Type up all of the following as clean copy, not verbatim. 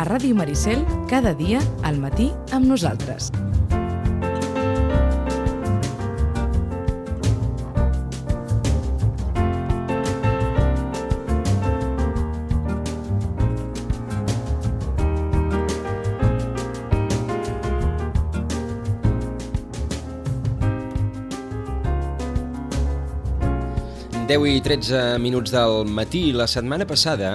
Ràdio Maricel, cada dia, al matí, amb nosaltres. Deu i 13 minuts del matí. La setmana passada,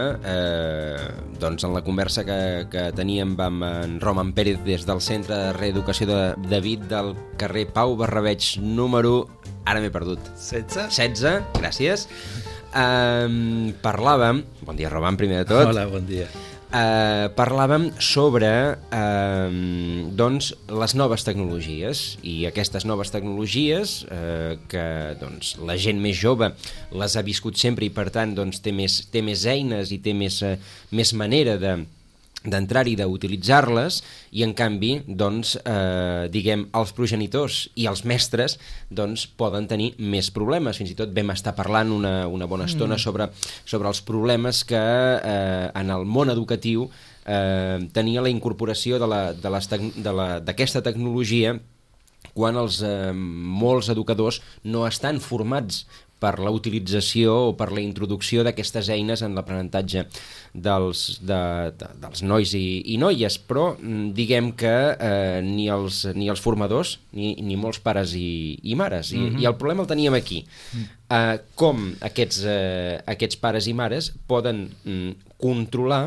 doncs en la conversa que teníem amb en Roman Pérez des del Centre de Reeducació de David del carrer Pau Barrabeig número... Ara m'he perdut. 16, gràcies. Parlàvem... Bon dia, Roman, primer de tot. Hola, bon dia. Parlàvem sobre doncs, les noves tecnologies i aquestes noves tecnologies que doncs, la gent més jove les ha viscut sempre i per tant doncs, té més eines i té més manera d'entrar-hi, d'utilitzar-les, i en canvi doncs, diguem, els progenitors i els mestres doncs, poden tenir més problemes. Fins i tot vam estar parlant una bona estona sobre els problemes que en el món educatiu tenia la incorporació d'aquesta tecnologia quan molts educadors no estan formats per la utilització o per la introducció d'aquestes eines en l'aprenentatge dels nois i noies, però diguem que ni els formadors ni molts pares i mares, i el problema el teníem aquí. Com aquests pares i mares poden controlar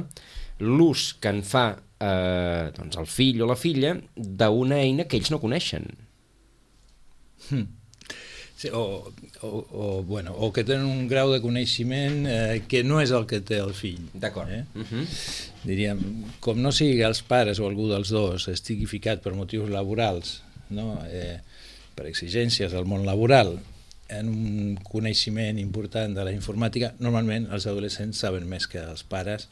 l'ús que en fa doncs el fill o la filla d'una eina que ells no coneixen. Sí, o que tenen un grau de coneixement que no és el que té el fill. D'acord. Diríem, com no sigui els pares o algú dels dos estigui ficat per motius laborals, no? Per exigències del món laboral, en un coneixement important de la informàtica, normalment els adolescents saben més que els pares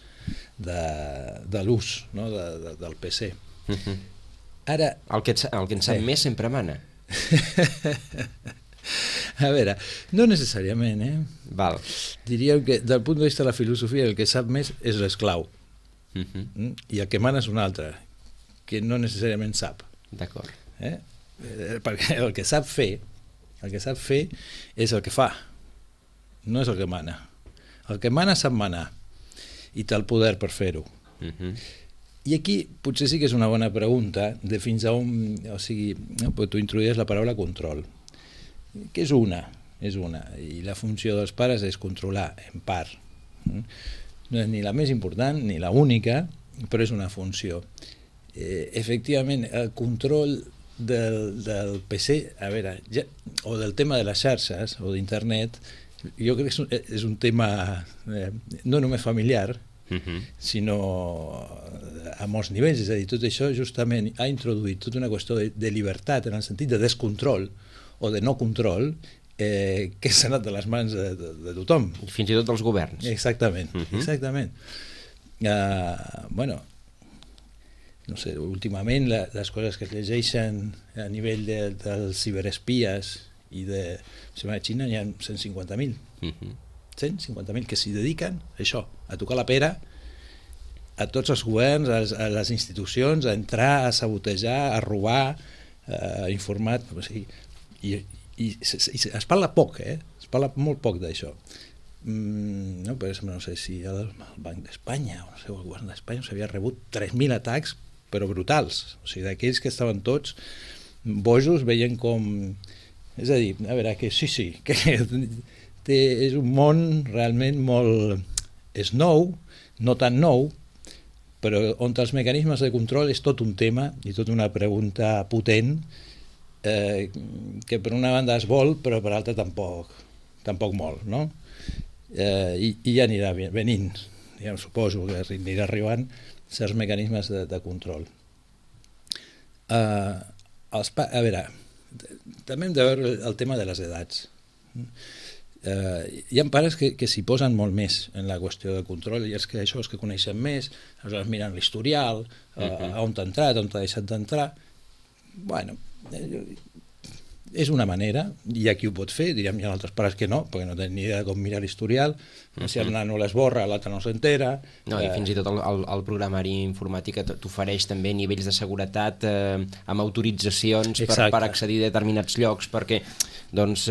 de l'ús, no? Del PC. Ara, el que en sap més sempre mana. A veure, no necessàriament, Val. Diríem que, del punt de vista de la filosofia, el que sap més és l'esclau. I el que mana és un altre, que no necessàriament sap. D'acord. Perquè el que sap fer és el que fa, no és el que mana. El que mana sap manar, i té el poder per fer-ho. I aquí potser sí que és una bona pregunta de fins a on... O sigui, tu introduïes la paraula control, que és una, i la funció dels pares és controlar, en part. No és ni la més important ni la única, però és una funció. Efectivament, el control del PC, a veure, o del tema de les xarxes o d'internet, jo crec que és un tema no només familiar, sinó a molts nivells. És a dir, tot això justament ha introduït tota una qüestió de llibertat en el sentit de descontrol o de no control que s'ha anat de les mans de tothom. Fins i tot dels governs. Exactament, exactament. Bueno, no sé, últimament les coses que es llegeixen a nivell dels ciberespies i de... A Xina hi ha 150.000. 150.000 que s'hi dediquen a això, a tocar la pera a tots els governs, a les institucions, a entrar, a sabotejar, a robar, a informar... O sigui, i es parla poc, es parla molt poc d'això. No, per exemple, no sé si el Banc d'Espanya o el govern d'Espanya s'havia rebut 3.000 atacs, però brutals, o sigui, d'aquells que estaven tots bojos, veien com... És a dir, a veure, que sí, que és un món realment molt... És nou, no tan nou, però on els mecanismes de control és tot un tema i tota una pregunta potent que per una banda es vol, però per l'altra tampoc molt, no? I ja anirà venint, ja suposo que anirà arribant certs mecanismes de control. A veure, també hem de veure el tema de les edats. Hi ha pares que s'hi posen molt més en la qüestió de control, i és que això, els que coneixen més, aleshores miren l'historial, on t'ha entrat, on t'ha deixat d'entrar. Bueno, és una manera, hi ha qui ho pot fer, diríem, hi ha altres pares que no, perquè no tenen ni idea de com mirar l'historial, si el nano l'esborra, l'altre no s'entera. No, i fins i tot el programari informàtic t'ofereix també nivells de seguretat amb autoritzacions per accedir a determinats llocs perquè doncs,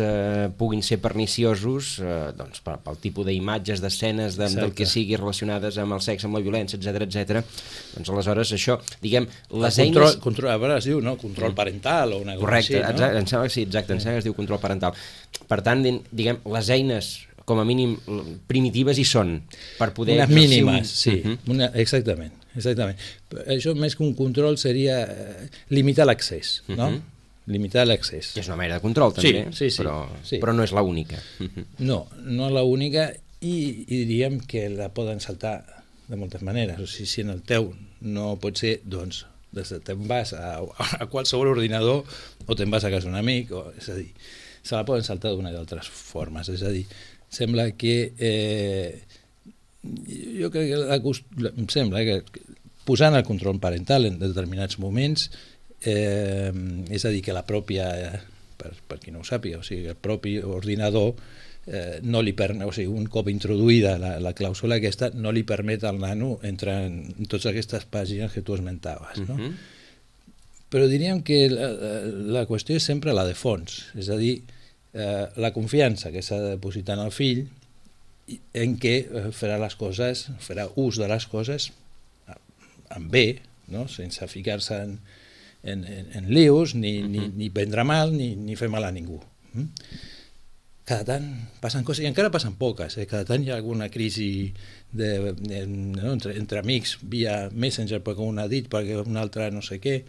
puguin ser perniciosos doncs, pel tipus d'imatges, d'escenes, del que sigui relacionades amb el sexe, amb la violència, etc. Doncs aleshores això, diguem, les eines... A veure, es diu, no? Control parental o una cosa així, no? Correcte, em sembla que sí, exacte, em sembla que es diu control parental. Per tant, diguem, les eines com a mínim primitives hi són per poder... Unes mínimes, sí, exactament. Això més que un control seria limitar l'accés, no? Limitar l'accés. És una manera de control també, però no és l'única. No és l'única i diríem que la poden saltar de moltes maneres. O sigui, si en el teu no pot ser, doncs te'n vas a qualsevol ordinador o te'n vas a casa d'un amic, és a dir, se la poden saltar d'una d'altres formes, és a dir, sembla que jo crec que em sembla que posant el control parental en determinats moments és a dir, que la pròpia per qui no ho sàpiga, o sigui, el propi ordinador no li permet, o sigui, un cop introduïda la clàusula aquesta, no li permet al nano entrar en totes aquestes pàgines que tu esmentaves, no? Però diríem que la qüestió és sempre la de fons, és a dir, la confiança que s'ha de depositar en el fill en què farà les coses, farà ús de les coses amb bé, no? Sense ficar-se en lius, ni prendre mal, ni fer mal a ningú. Cada tant passen coses, i encara passen poques, cada tant hi ha alguna crisi entre amics via Messenger perquè un ha dit, perquè un altre no sé què.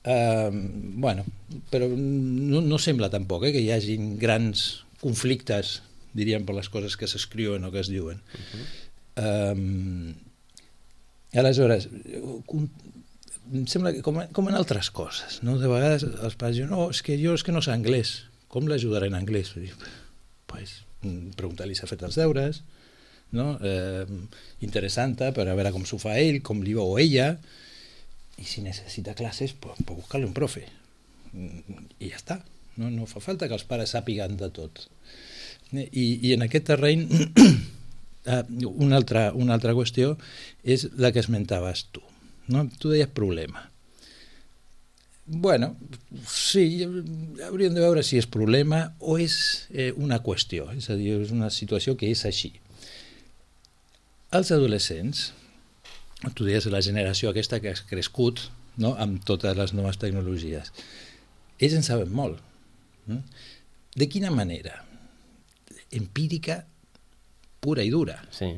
Bueno, però no sembla tampoc que hi hagin grans conflictes, diríem, per les coses que s'escriuen o que es diuen. Aleshores, em sembla que com en altres coses, no? De vegades els pares diuen, no, és que no sé anglès, com l'ajudaré en anglès? Pues, preguntar-li si ha fet els deures, no? Interessant-te per a veure com s'ho fa ell, com li veu ella, i si necessita classes, pues buscar-li un profe. I ja està. No fa falta que els pares sàpiguen de tot. I en aquest terreny, una altra qüestió és la que esmentaves tu. No? Tu deies problema. Bueno, sí, hauríem de veure si és problema o és una qüestió, és a dir, és una situació que és així. Els adolescents, tu deies la generació aquesta que has crescut, no? Amb totes les noves tecnologies, ells en saben molt. De quina manera? Empírica, pura i dura. Sí.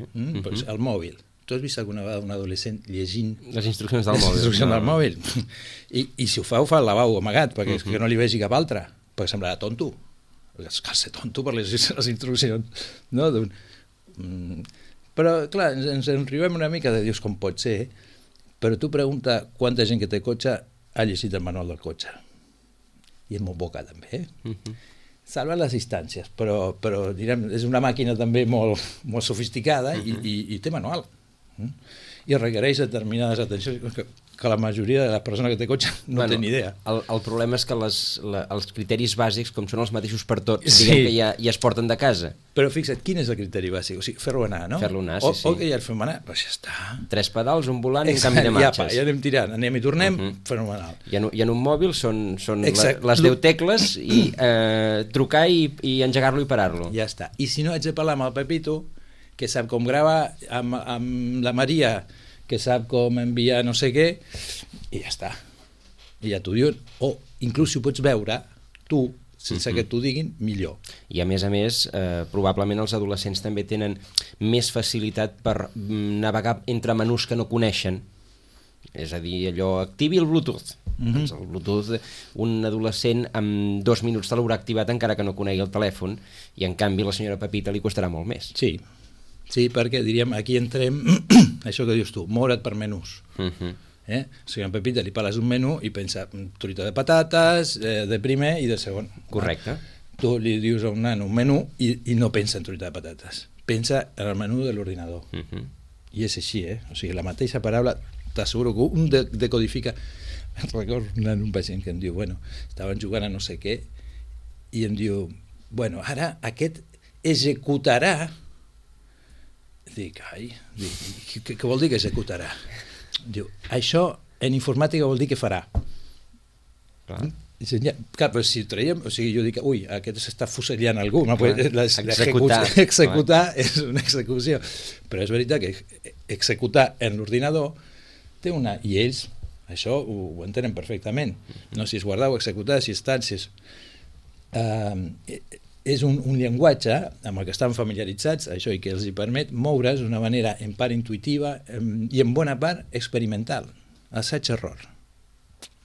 Pues el mòbil. Tu has vist alguna vegada un adolescent llegint les instruccions del mòbil? Les instruccions del mòbil. I si ho fa al lavabo amagat, perquè és que no li vegi cap altre, perquè semblarà tonto. Cal ser tonto per les instruccions. No? Però, clar, ens enribem una mica de dius com pot ser, però tu pregunta quanta gent que té cotxe ha llegit el manual del cotxe. I és molt poca, també. Salva les distàncies, però direm, és una màquina també molt sofisticada i té manual. I requereix determinades atencions que la majoria de les persones que té cotxe no té ni idea. El problema és que els criteris bàsics, com són els mateixos per tots, diguem que ja es porten de casa. Però fixa't, quin és el criteri bàsic? O sigui, fer-lo anar, no? Fer-lo anar, sí. O que ja el fem anar, doncs ja està. 3 pedals, un volant i un canvi de marxes. Ja anem tirant, anem i tornem, fenomenal. I en un mòbil són les 10 tecles i trucar i engegar-lo i parar-lo. Ja està. I si no, haig de parlar amb el Pepito, que sap com gravar, amb la Maria, que sap com enviar no sé què, i ja està. I ja t'ho diuen. O inclús si ho pots veure, tu, sense que t'ho diguin, millor. I a més, probablement els adolescents també tenen més facilitat per navegar entre menús que no coneixen. És a dir, allò, activi el Bluetooth. Doncs el Bluetooth, un adolescent amb 2 minuts te l'haurà activat encara que no conegui el telèfon, i en canvi la senyora Pepita li costarà molt més. Sí, perquè diríem, aquí entrem, això que dius tu, moure't per menús. O sigui, en Pepita li parles d'un menú i pensa truita de patates, de primer i de segon. Correcte. Tu li dius a un nano un menú i no pensa en truita de patates. Pensa en el menú de l'ordinador. I és així, O sigui, la mateixa paraula, t'asseguro que un decodifica... recordo un pacient que em diu, bueno, estaven jugant a no sé què, i em diu, bueno, ara aquest executarà. Dic, què vol dir que executarà? Diu, això en informàtica vol dir que farà. Clar. Clar, però si ho traiem, o sigui, jo dic, ui, aquest s'està fusellant algú, no? Executar. Executar és una execució, però és veritat que executar en l'ordinador té una... I ells això ho entenen perfectament, no? Si és guardar o executar, si és tant, si és... és un llenguatge amb el que estan familiaritzats, això, i que els hi permet moure's d'una manera en part intuïtiva i en bona part experimental, assaig-error.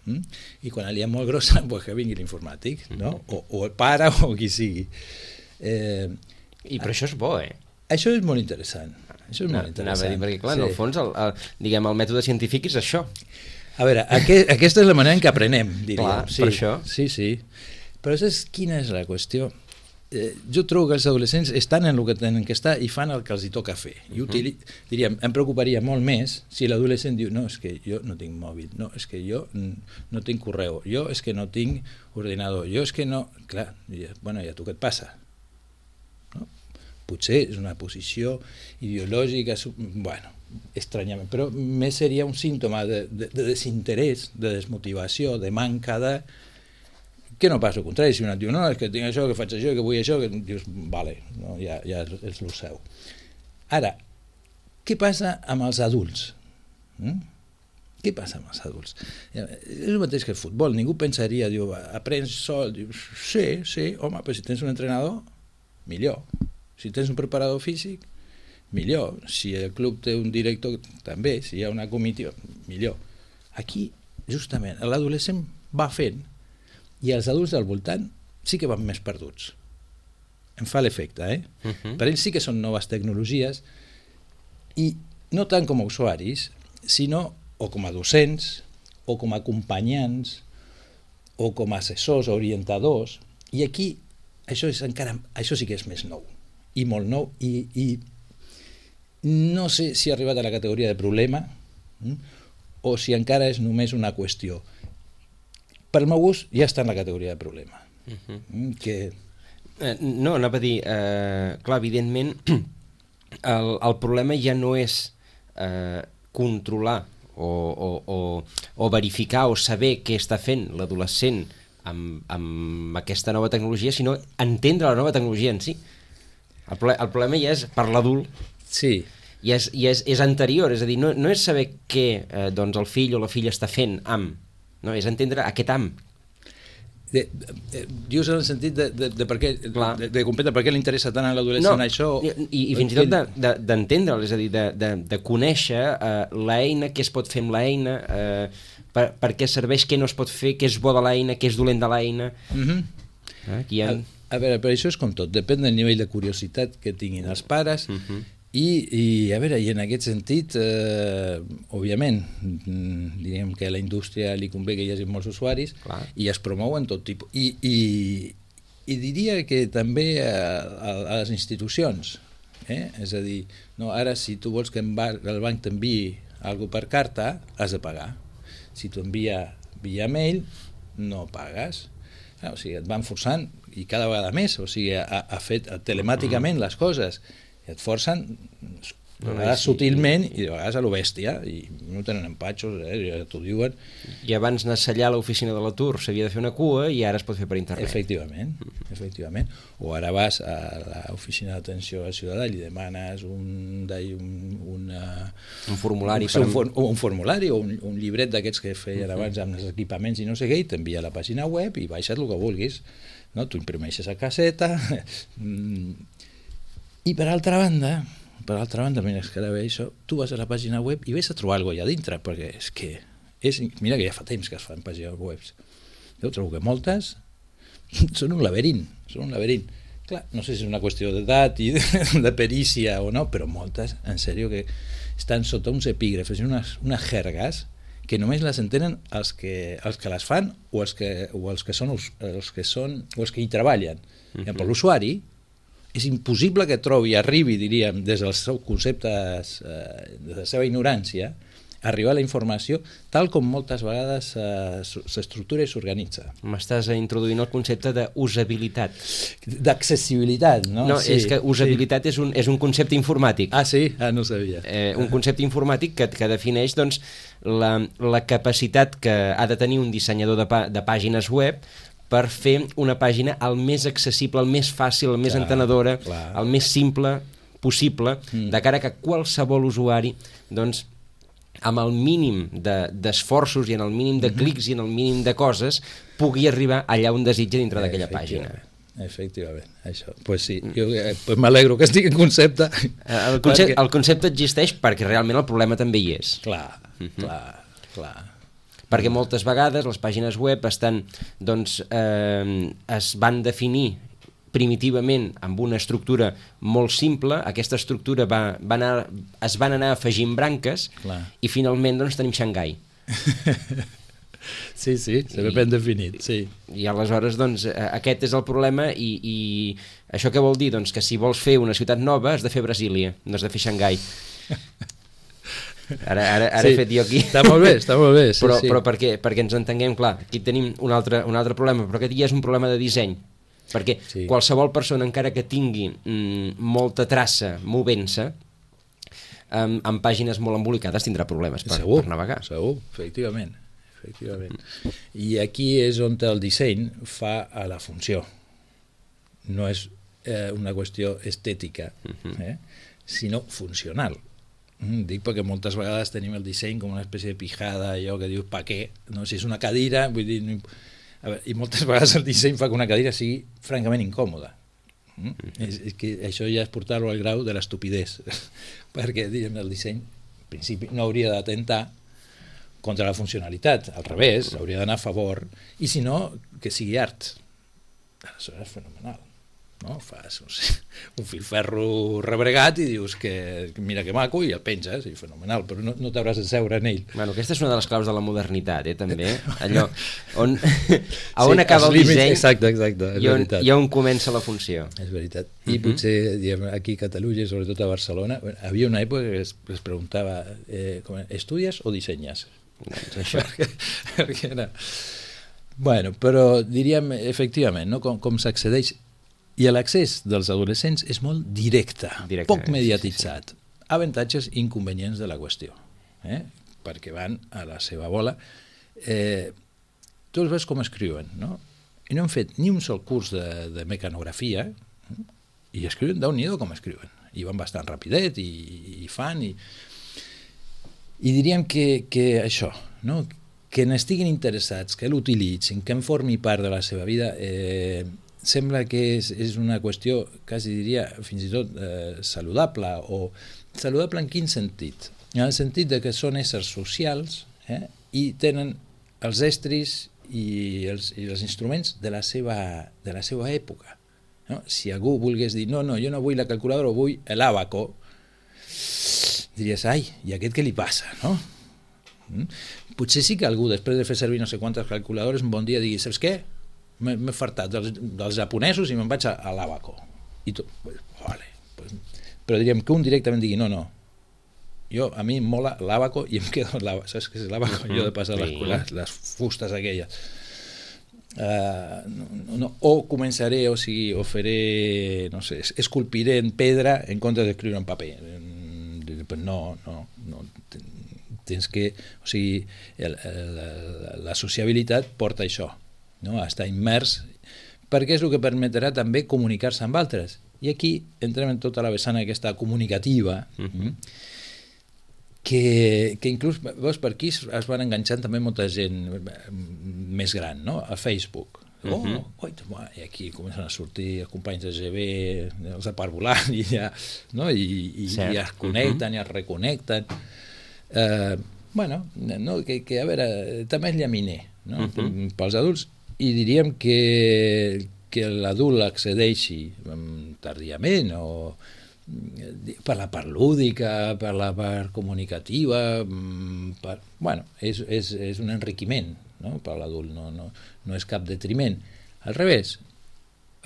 I quan li ha molt grossa, pues que vingui l'informàtic, no? O el pare o qui sigui. I però això és bo, eh? Això és molt interessant. Això és molt interessant. Anava a dir, perquè clar, en el fons diguem, el mètode científic és això. A veure, aquesta és la manera en què aprenem, diríem. Clar, sí, per això. Sí. Però saps quina és la qüestió? Jo trobo que els adolescents estan en el que tenen que estar i fan el que els hi toca fer. I diríem, em preocuparia molt més si l'adolescent diu, no, és que jo no tinc mòbil, no, és que jo no tinc correu, jo és que no tinc ordinador, jo és que no... Clar, bueno, i a tu què et passa? No? Potser és una posició ideològica, bueno, estranyament, però més seria un símptoma de desinterès, de desmotivació, de manca de... Que no passa al contrari, si un et diu, no, és que tinc això, que faig això, que vull això, que dius, vale, no, ja és el seu. Ara, què passa amb els adults? Què passa amb els adults? És el mateix que el futbol, ningú pensaria, diu, aprens sol, dius, sí, home, però si tens un entrenador, millor. Si tens un preparador físic, millor. Si el club té un director, també. Si hi ha una comitiva, millor. Aquí, justament, l'adolescent va fent i els adults del voltant sí que van més perduts. Em fa l'efecte, Per ells sí que són noves tecnologies i no tant com a usuaris, sinó o com a docents, o com a acompanyants, o com a assessors, orientadors, i aquí això sí que és més nou, i molt nou, i no sé si ha arribat a la categoria de problema o si encara és només una qüestió. Pel meu gust ja està en la categoria de problema. No, anava a dir, clar, evidentment el problema ja no és controlar o verificar o saber què està fent l'adolescent amb aquesta nova tecnologia, sinó entendre la nova tecnologia en si. El problema ja és per l'adult. Sí. I és anterior, és a dir, no és saber què doncs el fill o la filla està fent amb, no, és entendre aquest amb. Dius en el sentit de per què, de comprendre per què li interessa tant a l'adolescent això? I fins i tot d'entendre'l, és a dir, de conèixer l'eina, què es pot fer amb l'eina, per què serveix, què no es pot fer, què és bo de l'eina, què és dolent de l'eina. A veure, però això és com tot, depèn del nivell de curiositat que tinguin els pares. I a veure, i en aquest sentit, òbviament, diríem que a la indústria li convé que hi hagi molts usuaris. Clar. I es promouen tot tipus. I diria que també a les institucions, és a dir, no, ara si tu vols que el banc t'enviï alguna cosa per carta, has de pagar. Si t'ho envia via mail, no pagues. O sigui, et van forçant, i cada vegada més, o sigui, ha fet telemàticament les coses, i et forcen a vegades sutilment i de vegades a lo bèstia, i no tenen empatxos, ja t'ho diuen. I abans anar a sellar a l'oficina de l'atur s'havia de fer una cua i ara es pot fer per internet. Efectivament. O ara vas a l'oficina d'atenció al ciutadà i li demanes un formulari o un llibret d'aquests que feien abans amb els equipaments i no sé què, i t'envia a la pàgina web i baixes el que vulguis, no? Tu imprimeixes a caseta. I per altra banda, mira, és que ara ve això, tu vas a la pàgina web i ves a trobar alguna cosa allà dintre, perquè és que mira que ja fa temps que es fan pàgines webs. Jo trobo que moltes són un laberint. Clar, no sé si és una qüestió d'edat i de perícia o no, però moltes, en sèrio, que estan sota uns epígrafs i unes jergues que només les entenen els que les fan o els que hi treballen. Per l'usuari és impossible que trobi, arribi, diríem, des dels seus conceptes, de la seva ignorància, arribar a la informació tal com moltes vegades s'estructura i s'organitza. M'estàs introduint el concepte d'usabilitat. D'accessibilitat, no? No, és que usabilitat és un concepte informàtic. Ah, sí? Ah, no sabia. Un concepte informàtic que defineix doncs, la capacitat que ha de tenir un dissenyador de pàgines web per fer una pàgina el més accessible, el més fàcil, el més entenedora, el més simple possible, de cara que qualsevol usuari, doncs, amb el mínim d'esforços i en el mínim de clics i en el mínim de coses, pugui arribar allà on desitja dintre d'aquella pàgina. Efectivament, això. Pues sí, jo m'alegro que estigui en concepte. El concepte existeix perquè realment el problema també hi és. Clar. Perquè moltes vegades les pàgines web estan, doncs, es van definir primitivament amb una estructura molt simple, aquesta estructura es van anar afegint branques i finalment doncs, tenim Xangai. Sí, se ve ben definit, sí. I aleshores doncs, aquest és el problema i això què vol dir? Doncs que si vols fer una ciutat nova has de fer Brasília, no has de fer Xangai. Ara he fet jo aquí. Està molt bé, sí, però perquè ens entenguem, clar, aquí tenim un altre problema, però aquest ja és un problema de disseny. Perquè qualsevol persona, encara que tingui molta traça movent-se, amb pàgines molt embolicades tindrà problemes per navegar. Segur, efectivament. I aquí és on el disseny fa a la funció. No és una qüestió estètica, sinó funcional. Dic perquè moltes vegades tenim el disseny com una espècie de pijada, allò que dius, pa què? No? Si és una cadira, vull dir... I moltes vegades el disseny fa que una cadira sigui francament incòmoda. És que això ja és portar-lo al grau de l'estupidesa, perquè el disseny, en principi, no hauria d'atentar contra la funcionalitat, al revés, hauria d'anar a favor, i si no, que sigui art. Això és fenomenal. No? Fas un filferro rebregat i dius que mira que maco i el penges, i fenomenal, però no t'hauràs de seure en ell. Bueno, aquesta és una de les claus de la modernitat, també. Allò on acaba el disseny i on comença la funció. És veritat. I potser aquí a Catalunya, sobretot a Barcelona, havia una època que es preguntava estudies o dissenyes? Doncs això. Perquè era... Bueno, però diríem, efectivament, no? Com s'accedeix. I l'accés dels adolescents és molt directe, poc mediatitzat. Avantatges i inconvenients de la qüestió, perquè van a la seva bola. Tu els veus com escriuen, no? I no han fet ni un sol curs de mecanografia i escriuen, Déu-n'hi-do com escriuen. I van bastant rapidet i fan. I diríem que això, no? Que n'estiguin interessats, que l'utilitzin, que en formi part de la seva vida, sembla que és una qüestió, quasi diria, fins i tot saludable, o saludable en quin sentit? En el sentit de que són éssers socials i tenen els estris i els instruments de la seva època. No? Si algú volgués dir, no, jo no vull la calculadora, vull l'àbaco, diries, ai, i aquest què li passa, no? Potser sí que algú, després de fer servir no sé quantes calculadores, un bon dia digui, saps què? M'he fartat dels japonesos i me'n vaig a l'àbaco. I tot, vale. Però diríem que un directament digui, no, a mi em mola l'àbaco i em quedo amb l'àbaco. Saps què és l'àbaco? Jo de passar les fustes aquelles. O començaré, o faré, no sé, esculpiré en pedra en comptes d'escriure en paper. No. Tens que, o sigui, la sociabilitat porta això. No? Estar immers, perquè és el que permetrà també comunicar-se amb altres. I aquí entrem en tota la vessant aquesta comunicativa, que inclús, veus, per aquí es van enganxant també molta gent més gran, no? A Facebook. I aquí comencen a sortir els companys de GB, els de parvulant, i ja es connecten i es reconnecten. Que a veure, també és llaminer, no? Pels adults. I diríem que l'adult accedeixi tardíament o per la part lúdica, per la part comunicativa, és un enriquiment, no? Per l'adult, no és cap detriment. Al revés,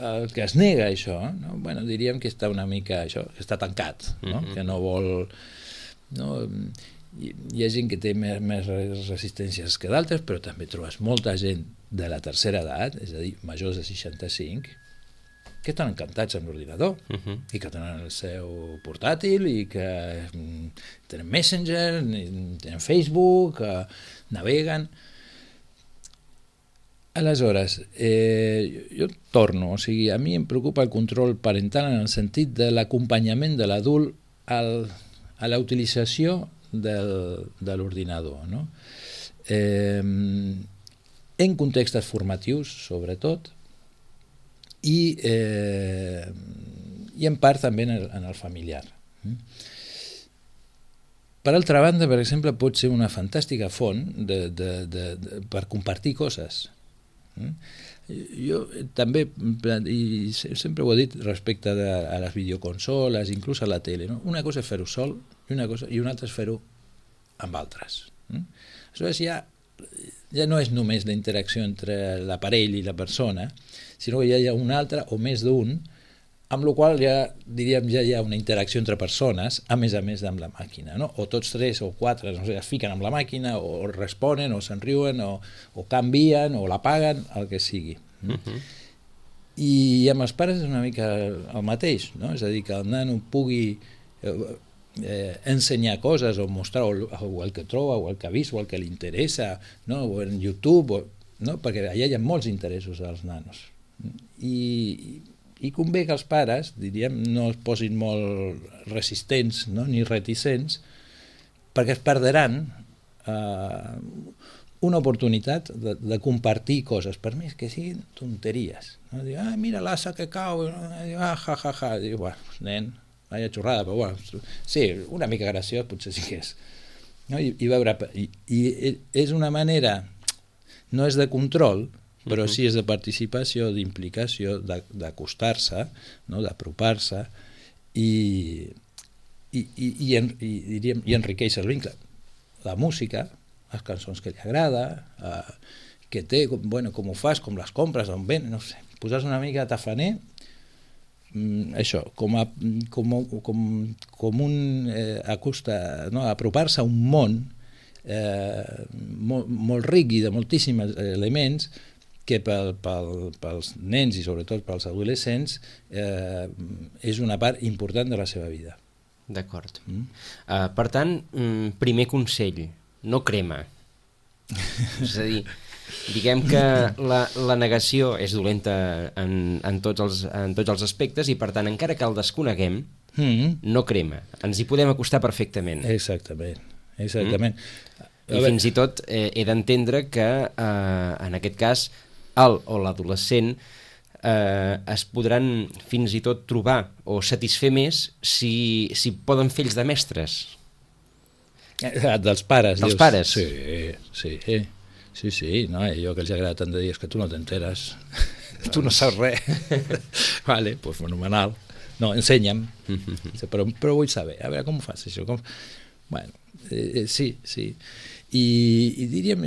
el que es nega això, no? Diríem que està una mica això, que està tancat, no? Que no vol... No? hi ha gent que té més resistències que d'altres, però també trobes molta gent de la tercera edat, és a dir, majors de 65, que estan encantats amb l'ordinador i que tenen el seu portàtil i que tenen Messenger, tenen Facebook, naveguen. Aleshores, jo torno, o sigui, a mi em preocupa el control parental en el sentit de l'acompanyament de l'adult a la utilització de l'ordinador, no? En contextes formatius, sobretot, i en part també en el familiar. Per altra banda, per exemple, pot ser una fantàstica font per compartir coses. Jo també, i sempre ho he dit respecte a les videoconsoles, inclús a la tele, no? Una cosa és fer-ho sol i una altra és fer-ho amb altres. Aleshores ja no és només la interacció entre l'aparell i la persona, sinó que ja hi ha un altre o més d'un, amb la qual ja hi ha una interacció entre persones, a més amb la màquina, no? O tots tres o quatre no sé, es fiquen amb la màquina, o responen, o se'n riuen, o canvien, o l'apaguen, el que sigui. I amb els pares és una mica el mateix, no? És a dir, que el nano pugui ensenyar coses o mostrar o el que troba o el que ha vist o el que li interessa, no? O en YouTube, no? Perquè allà hi ha molts interessos als nanos i convé que els pares, diríem, no es posin molt resistents, no? Ni reticents, perquè es perdran una oportunitat de compartir coses, per més que siguin tonteries, no? Diu, mira l'assa que cau, diu, bueno, nen, vaya xorrada, però bueno, sí, una mica graciós potser sí que és, no? I és una manera, no és de control, però sí és de participació, d'implicació, d'acostar-se, no? D'apropar-se i enriqueix el vincle. La música, les cançons que li agrada, que té, bueno, com ho fas, com les compres, on ven, no sé, posar una mica tafaner, això, com un apropar-se a un món molt ric i de moltíssims elements que pels nens i sobretot pels adolescents és una part important de la seva vida. D'acord. Per tant, primer consell, no crema. És a dir, diguem que la negació és dolenta en tots els aspectes i per tant, encara que el desconeguem, no crema. Ens hi podem acostar perfectament. Exactament. I fins i tot he d'entendre que en aquest cas el o l'adolescent es podran fins i tot trobar o satisfer més si poden fer ells de mestres. Dels pares. Dels pares? Sí, no? Allò que els agrada tant de dir és que tu no t'enteres, tu no saps res. Vale, pues fenomenal. No, ensenya'm, però vull saber, a veure com ho fas això. Bueno, sí. I diríem,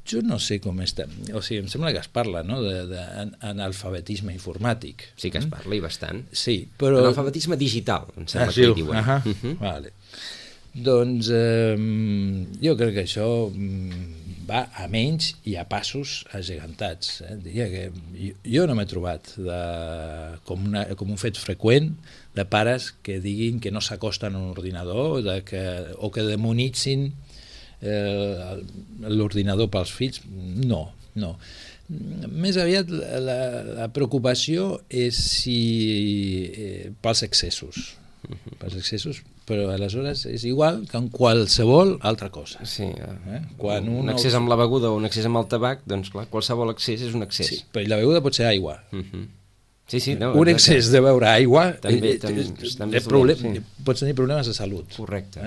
jo no sé com està, o sigui, em sembla que es parla, no?, d'analfabetisme informàtic. Sí que es parla i bastant. Sí, però... Analfabetisme digital, em sembla que hi diuen. Vale. Doncs jo crec que això va a menys i a passos agegantats. Diria que jo no m'he trobat com un fet freqüent de pares que diguin que no s'acosten a un ordinador o que demonitzin l'ordinador pels fills. No. Més aviat la preocupació és pels excessos. Però aleshores és igual que en qualsevol altra cosa. Sí, un excés amb la beguda o un excés amb el tabac, doncs clar, qualsevol excés és un excés. Sí, però la beguda pot ser aigua. Sí, no, un excés de beure aigua també pots tenir problemes de salut. Correcte.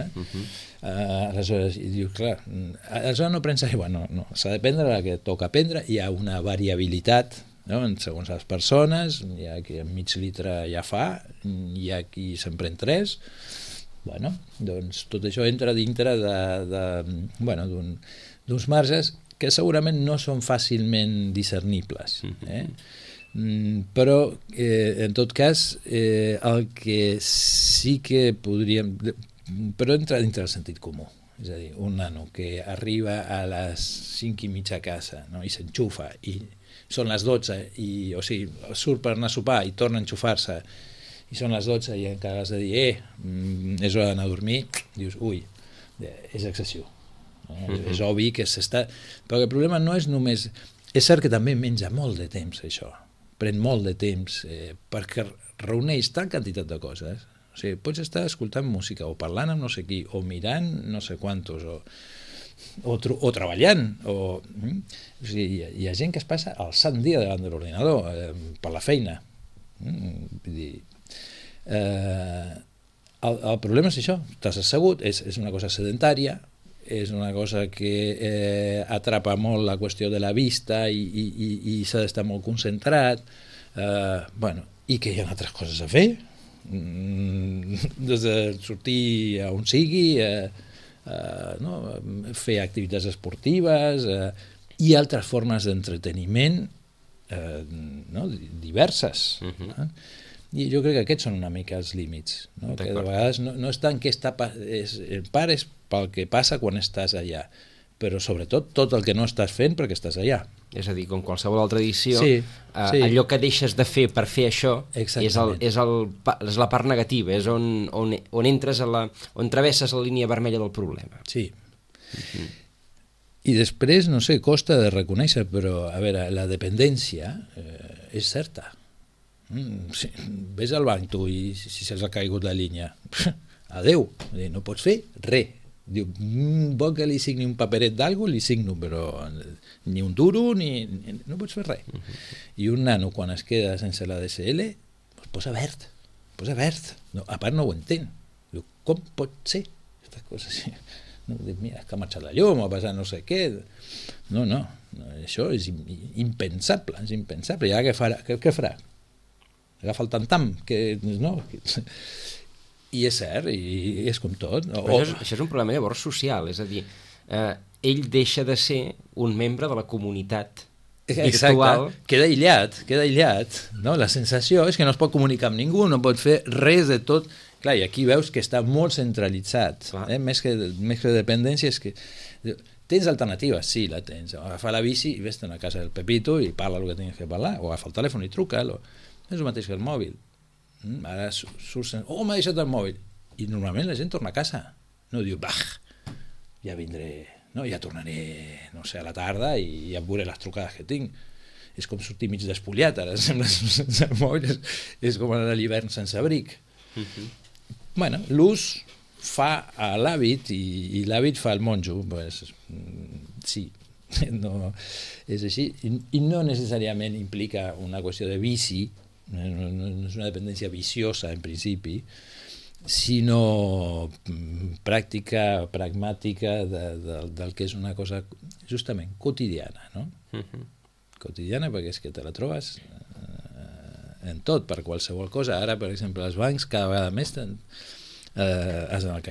Aleshores, dius, clar, aleshores no prens aigua, no, s'ha de prendre el que toca prendre, hi ha una variabilitat, no? Segons les persones, hi ha qui en mig litre ja fa, hi ha qui se'n pren 3, bueno, doncs tot això entra dintre d'uns marges que segurament no són fàcilment discernibles, però en tot cas el que sí que podríem, però entra dintre del sentit comú, és a dir, un nano que arriba a les 5:30 a casa, no? I s'enxufa i són les 12 o sigui, surt per anar a sopar i torna a enxufar-se i són les 12 i encara has de dir és hora d'anar a dormir, dius, ui, és excessiu, no? És obvi que s'està... Però el problema no és només... És cert que també menja molt de temps, això, pren molt de temps, perquè reuneix tal quantitat de coses. O sigui, pots estar escoltant música o parlant amb no sé qui, o mirant no sé quantos, o treballant, o sigui, hi ha gent que es passa el sant dia davant de l'ordinador per la feina. Vull dir, el problema és això, estàs assegut, és una cosa sedentària, és una cosa que atrapa molt la qüestió de la vista i s'ha d'estar molt concentrat, i que hi ha altres coses a fer, des de sortir a on sigui, fer activitats esportives i altres formes d'entreteniment diverses. I jo crec que aquests són una mica els límits, no? Que de vegades no és tant que pares pel que passa quan estàs allà, però sobretot tot el que no estàs fent perquè estàs allà. És a dir, com qualsevol altra edició, allò que deixes de fer per fer això és la part negativa, és on entres on travesses la línia vermella del problema. Sí. I després, no sé, costa de reconèixer, però, a veure, la dependència és certa. Sí, ves al banc tu i si se'ls ha caigut la línia, adeu, no pots fer res. Diu, vol que li signi un paperet d'algú, li signo, però ni un duro, no pots fer res. I un nano, quan es queda sense la DSL, posa verd. No, a part no ho entén. Diu, com pot ser? Aquestes coses així. No, mira, que ha marxat la llum, ha passat no sé què. No, això és impensable, és impensable. I ara què farà? Agafa el tam-tam, no? I és cert, i és com tot. Això és un problema llavors social, és a dir, ell deixa de ser un membre de la comunitat virtual. Exacte, queda aïllat. No? La sensació és que no es pot comunicar amb ningú, no pot fer res de tot. Clar, i aquí veus que està molt centralitzat, més que dependència, és que... Tens alternatives? Sí, la tens. Agafa la bici i vés-te'n a casa del Pepito i parla el que tinguis que parlar, o agafa el telèfon i truca, és el mateix que el mòbil. Ara surts, m'ha deixat el mòbil, i normalment la gent torna a casa, no diu, ja vindré, no, ja tornaré, no sé, a la tarda i ja veuré les trucades que tinc. És com sortir mig despuliat, ara sembla sense el mòbil, és com anar a l'hivern sense abric. Bueno, l'ús fa l'hàbit i l'hàbit fa el monjo, pues, sí, no, és així, i no necessàriament implica una qüestió de vici, no és una dependència viciosa en principi, sinó pràctica, pragmàtica del que és una cosa justament quotidiana, no? Quotidiana perquè és que te la trobes en tot, per qualsevol cosa. Ara, per exemple, els bancs cada vegada més has d'anar al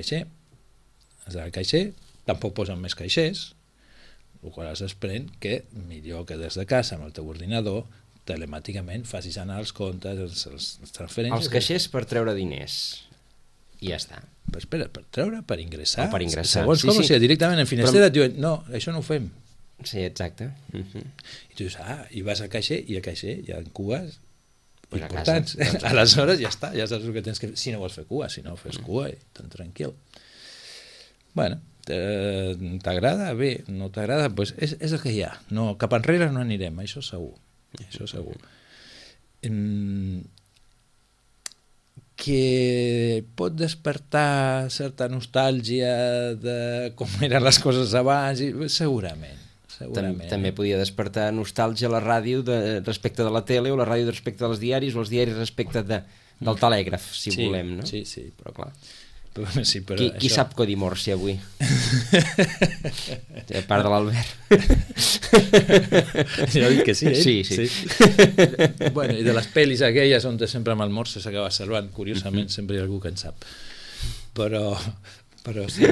caixer, tampoc posen més caixers, el qual es desprèn que millor que des de casa amb el teu ordinador telemàticament facis anar els comptes, les transferències... Els caixers per treure diners, i ja està. Però espera, per treure, per ingressar. O per ingressar, segons com, o sigui, directament en Finestreta et diuen, no, això no ho fem. Sí, exacte. I tu dius, i vas al caixer, i al caixer hi ha cues importants. Aleshores ja està, ja saps el que tens que fer. Si no vols fer cua, si no fes cua, tan tranquil. Bueno, t'agrada? Bé, no t'agrada? Pues és el que hi ha. No, cap enrere no anirem, això segur. Això segur. Que pot despertar certa nostàlgia de com eren les coses abans, segurament. També podia despertar nostàlgia a la ràdio respecte de la tele, o la ràdio respecte dels diaris, o els diaris respecte del telègraf, si volem, no? Sí. Però clar... Sí, però qui sap codi Morse avui? A part de l'Albert. Jo dic que sí, ell? Sí. Bueno, i de les pel·lis aquelles on sempre amb el Morse s'acaba salvant, curiosament, sempre hi ha algú que en sap. Però sí,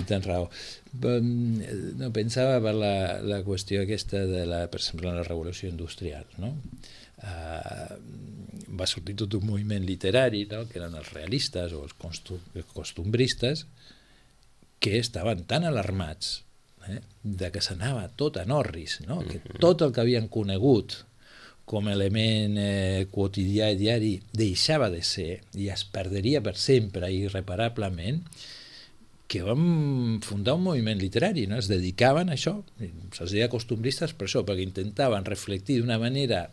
tens raó. No, pensava per la qüestió aquesta de per exemple, la revolució industrial, no? Va sortir tot un moviment literari, no? Que eren els realistes o els costumbristes, que estaven tan alarmats de que s'anava tot a Norris, no? Que tot el que havien conegut com a element quotidià i diari deixava de ser i es perdria per sempre i irreparablement, que vam fundar un moviment literari, no? Es dedicaven a això, se'ls deia costumbristes per això, perquè intentaven reflectir d'una manera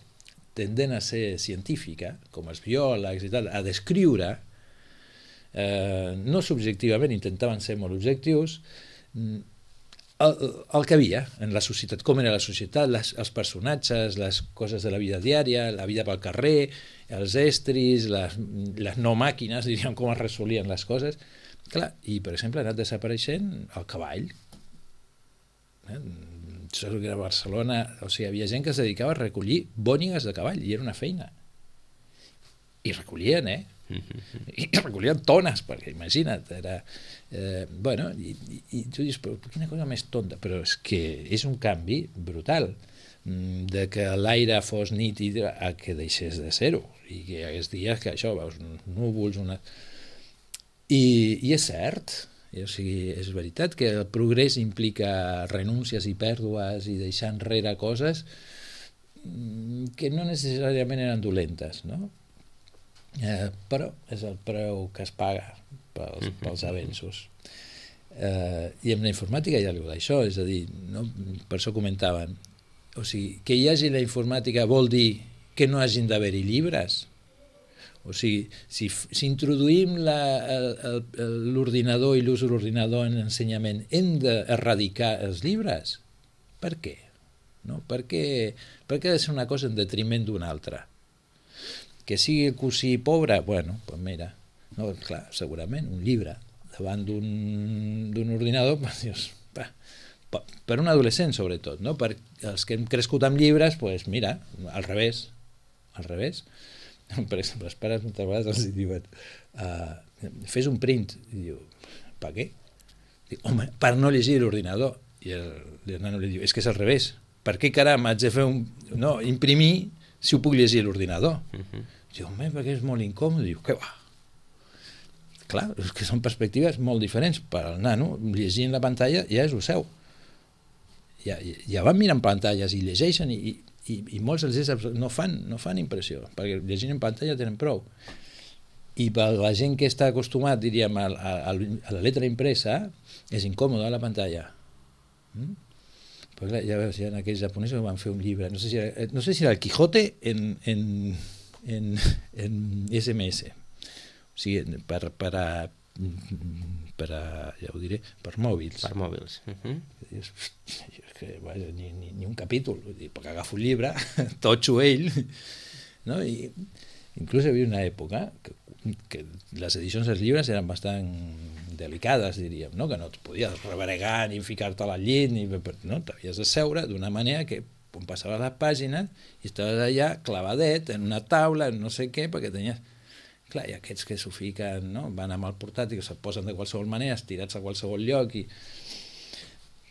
tendent a ser científica, com els biòlegs i tal, a descriure, no subjectivament, intentaven ser molt objectius, el que havia en la societat, com era la societat, els personatges, les coses de la vida diària, la vida pel carrer, els estris, les no màquines, diríem, com es resolien les coses. Clar, i per exemple ha anat desapareixent el cavall. Sóc que a Barcelona, o sigui, havia gent que es dedicava a recollir bònigues de cavall, i era una feina. I recollien, i recollien tones, perquè imagina't, era... bueno, i tu dius, però quina cosa més tonta, però és que és un canvi brutal, de que l'aire fos nítid a que deixés de ser-ho, i que hi hagués dies que això, veus, núvols, I és cert, o sigui, és veritat que el progrés implica renúncies i pèrdues i deixar enrere coses que no necessàriament eren dolentes, no? Però és el preu que es paga pels avenços. I amb la informàtica hi ha alguna d'això, és a dir, no? Per això comentaven, o sigui, que hi hagi la informàtica vol dir que no hagin d'haver-hi llibres. O sigui, si introduïm l'ordinador i l'ús de l'ordinador en l'ensenyament, hem d'erradicar els llibres? Per què? No? Per què ha de ser una cosa en detriment d'una altra? Que sigui el cosí pobre? Bueno, doncs mira, no, clar, segurament un llibre davant d'un ordinador, dius, per un adolescent sobretot, no? Per els que hem crescut amb llibres, doncs mira, al revés. Per exemple, els pares moltes vegades els diuen fes un print, i diu, per què? Diu, home, per no llegir l'ordinador. I el nano li diu, és que és al revés, per què caram haig de fer imprimir si ho puc llegir a l'ordinador? Diu, home, perquè és molt incòmode. Diu, què va? Clar, és que són perspectives molt diferents. Per al nano, llegir en la pantalla ja és el seu. Ja van mirant pantalles i llegeixen i molts dels no fan impressió, perquè llegint en pantalla tenen prou. I per la gent que està acostumat, diríem, a la letra impresa, és incòmode a la pantalla. Però clar, ja veus, hi ha aquells japonesos que van fer un llibre, no sé si era el Quijote en SMS, o sigui, ja ho diré, per mòbils. Per mòbils. Ni un capítol, perquè agafo un llibre, totxo ell, no? I inclús hi havia una època que les edicions dels llibres eren bastant delicades, diríem, no? Que no et podies rebregar ni ficar-te al llit, no? T'havies de seure d'una manera que quan passaves les pàgines i estaves allà clavadet en una taula, en no sé què, perquè tenies... Clar, i aquests que s'ho fiquen, no? Van amb el portàtil, que se'l posen de qualsevol manera, estirats a qualsevol lloc i...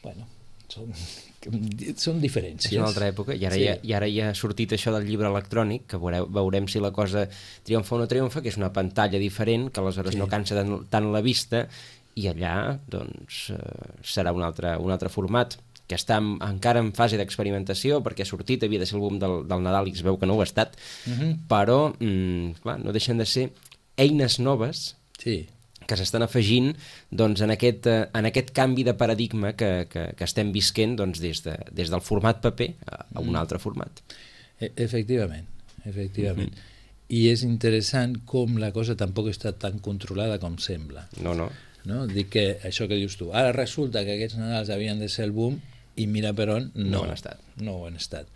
Bueno, són diferències. És una altra època, i ara ja ha sortit això del llibre electrònic, que veurem si la cosa triomfa o no triomfa, que és una pantalla diferent, que aleshores no cansa tant la vista, i allà doncs serà un altre format, que està encara en fase d'experimentació, perquè ha sortit, havia de ser l'àlbum del Nadal i es veu que no ho ha estat, però clar, no deixen de ser eines noves que s'estan afegint doncs, en aquest canvi de paradigma que estem visquent doncs, des del format paper a un altre format. Efectivament. I és interessant com la cosa tampoc està tan controlada com sembla. No? Dic que això que dius tu, ara resulta que aquests Nadals havien de ser el boom i mira per on no ho han estat.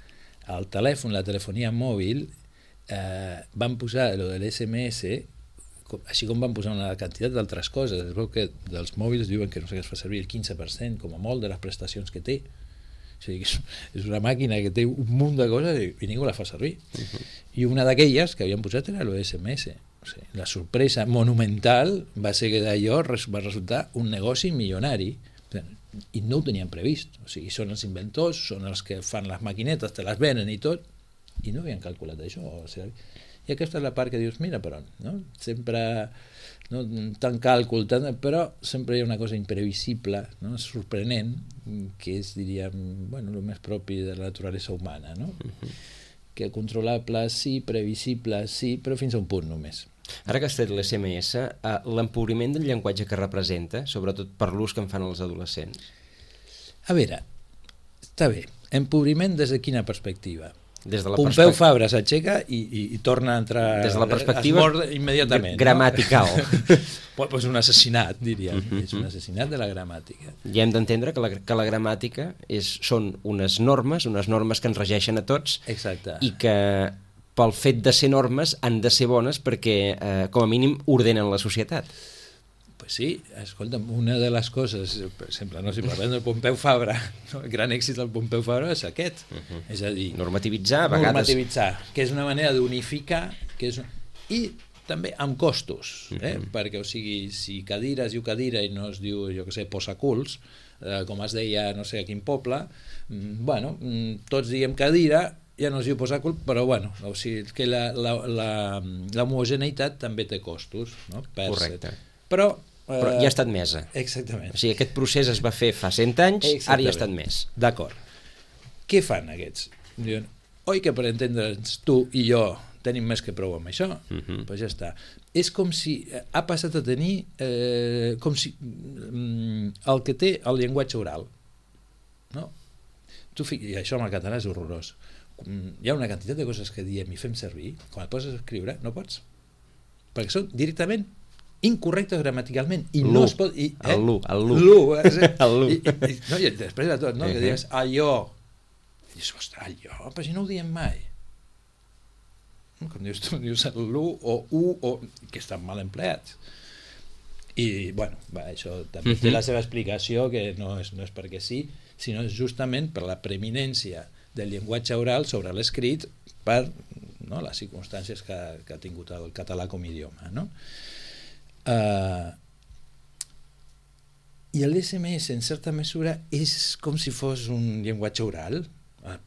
El telèfon, la telefonia mòbil, van posar lo de l'SMS, així com van posar una quantitat d'altres coses. Es veu que dels mòbils diuen que no sé què es fa servir el 15% com a molt de les prestacions que té. O sigui, és una màquina que té un munt de coses i ningú la fa servir. I una d'aquelles que havien posat era lo de SMS. O sigui, la sorpresa monumental va ser que d'allò va resultar un negoci milionari. I no ho tenien previst, o sigui, són els inventors, són els que fan les maquinetes, te les venen i tot, i no havien calculat això, o sigui, I aquesta és la part que dius, mira per on, no? Sempre, no, tant càlcul, però sempre hi ha una cosa imprevisible, no? Sorprenent, que és, diríem, bueno, el més propi de la naturalesa humana, no? Que controlable sí, previsible sí, però fins a un punt només. Ara que has tret l'SMS, l'empobriment del llenguatge que representa, sobretot per l'ús que en fan els adolescents? A veure, està bé, empobriment des de quina perspectiva? Des de la Pompeu Fabra s'aixeca i torna a entrar... Des de la perspectiva immediatament, gramatical. No? Pues un assassinat, diríem. És un assassinat de la gramàtica. I hem d'entendre que la gramàtica són unes normes que ens regeixen a tots. Exacte. I que pel fet de ser normes han de ser bones perquè, com a mínim, ordenen la societat. Pues sí, escolta'm, una de les coses, per exemple, no, si parlem del Pompeu Fabra, no? El gran èxit del Pompeu Fabra és aquest, és a dir... Normativitzar, a vegades... Normativitzar, que és una manera d'unificar, i també amb costos, perquè, o sigui, si cadira es diu cadira i no es diu, jo què sé, posaculs, com es deia no sé a quin poble, bueno, tots diem cadira, ja no es diu posàcul, però bueno, o sigui, que l'homogeneïtat també té costos, no? Correcte. Però ja està admesa. Exactament. O sigui, aquest procés es va fer fa 100 anys, ara ja està admès. D'acord. Què fan aquests? Diuen, oi que per entendre'ns tu i jo tenim més que prou amb això? Pues ja està. És com si ha passat a tenir com si el que té el llenguatge oral. No? I això amb el català és horrorós. Hi ha una quantitat de coses que diem i fem servir, quan et poses a escriure no pots, perquè són directament incorrectes gramaticalment i no es pot... El lu. No, i després de tot, no? Que dius allò, i dius, ostres, allò, però si no ho diem mai. Com dius tu, dius el lu o u, que estan mal empleats. I, bueno, això també té la seva explicació, que no és perquè sí, sinó justament per la preeminència del llenguatge oral sobre l'escrit per les circumstàncies que ha tingut el català com a idioma, no? I l'SMS en certa mesura és com si fos un llenguatge oral.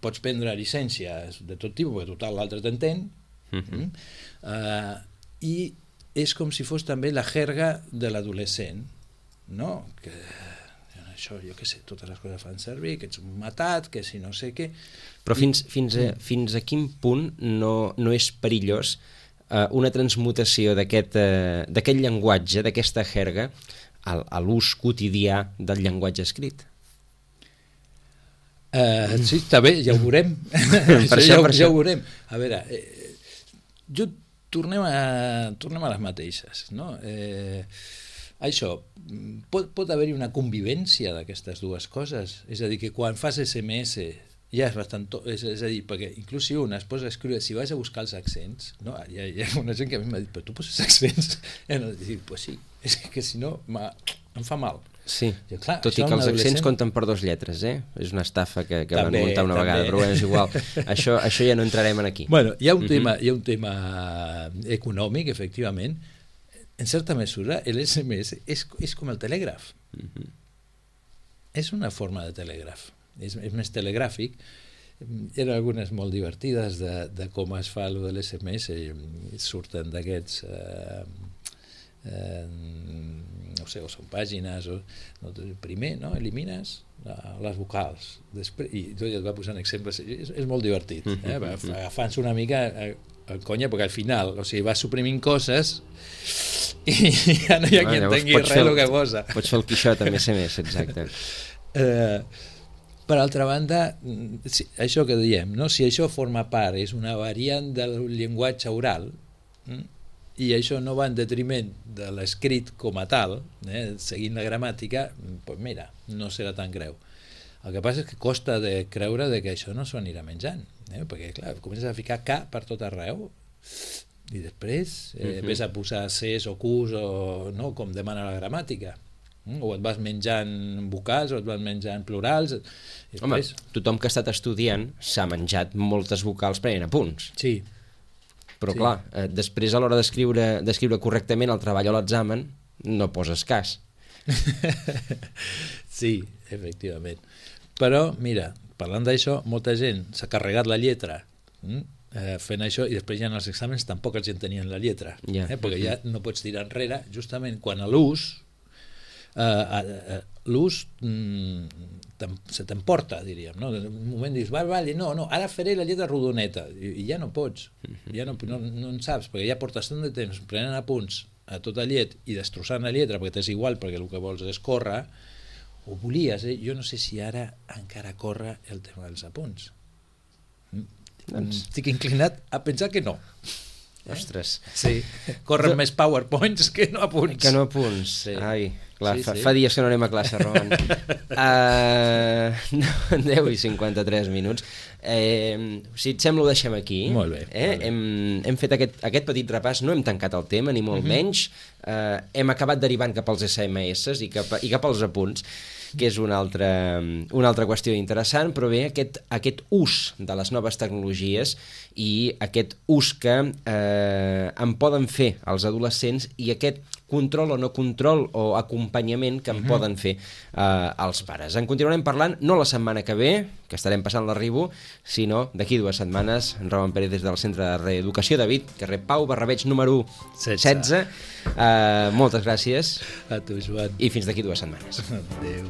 Pots prendre llicències de tot tipus, perquè total l'altre t'entén, i és com si fos també la jerga de l'adolescent, no? Que això, jo què sé, totes les coses fan servir, que ets un matat, que si no sé què... Però fins a quin punt no és perillós una transmutació d'aquest llenguatge, d'aquesta jerga, a l'ús quotidià del llenguatge escrit? Sí, està bé, ja ho veurem. Ja ho veurem. A veure, tornem a les mateixes, no? Això, pot haver-hi una convivència d'aquestes dues coses, és a dir, que quan fas SMS ja és bastant... És a dir, perquè inclús si un es posa a escriure, si vas a buscar els accents, no? Hi ha una gent que a mi m'ha dit, però tu poses accents? I dic, pues sí, és que si no em fa mal. Sí, jo, clar, tot i que els accents compten per 2 lletres, És una estafa que van muntar una vegada, però és igual. Això ja no entrarem aquí. Bueno, hi ha un tema econòmic, efectivament. En certa mesura, l'SMS és com el telègraf. És una forma de telègraf. És més telegràfic. Eren algunes molt divertides de com es fa allò de l'SMS, surten d'aquests no sé, o són pàgines primer, no? Elimines les vocals després, i tot ja et va posant exemples, és molt divertit, agafant-se una mica el conya, perquè al final, o sigui, vas suprimint coses i ja no hi ha qui entengui res del que posa. Pots fer el Quixot amb SMS, exacte. Per altra banda, això que diem, no? Si això forma part, és una variant del llenguatge oral, i això no va en detriment de l'escrit com a tal, seguint la gramàtica, doncs mira, no serà tan greu. El que passa és que costa de creure que això no s'ho anirà menjant, perquè clar, comences a ficar K per tot arreu i després ves a posar Cs o Qs no? Com demana la gramàtica. O et vas menjant vocals o et vas menjant plurals. Home, tothom que ha estat estudiant s'ha menjat moltes vocals prenent apunts. Sí. Però clar, després a l'hora d'escriure correctament el treball o l'examen no poses cas. Sí, efectivament. Però, mira, parlant d'això, molta gent s'ha carregat la lletra fent això, i després ja en els exàmens tampoc els entenien la lletra, perquè ja no pots tirar enrere, justament quan a l'ús se t'emporta, diríem, no? En un moment dius, vale, no, ara faré la lletra rodoneta, i ja no pots, ja no en saps, perquè ja portes tant de temps prenent apunts a tota llet i destrossant la lletra perquè t'és igual, perquè el que vols és córrer, o volies, jo no sé si ara encara corre el tema dels apunts. Estic inclinat a pensar que no. Ostres. Sí, corren més PowerPoints que no apunts. Que no apunts. Sí. Ai, clar, fa dies que no anem a classe, Roman. 10 i 53 minuts. Si et sembla ho deixem aquí. Molt bé. Hem fet aquest petit repàs, no hem tancat el tema, ni molt menys. Hem acabat derivant cap als SMS i cap als apunts, que és una altra qüestió interessant, però bé, aquest ús de les noves tecnologies i aquest ús que en poden fer els adolescents i aquest control o no control o acompanyament que en poden fer els pares. En continuarem parlant, no la setmana que ve, que estarem passant l'arribo, sinó d'aquí 2 setmanes. En Roman Pérez des del Centre de Reeducació David, carrer Pau Barrabeig número 16. Moltes gràcies. A tu, Joan. I fins d'aquí 2 setmanes. Adéu.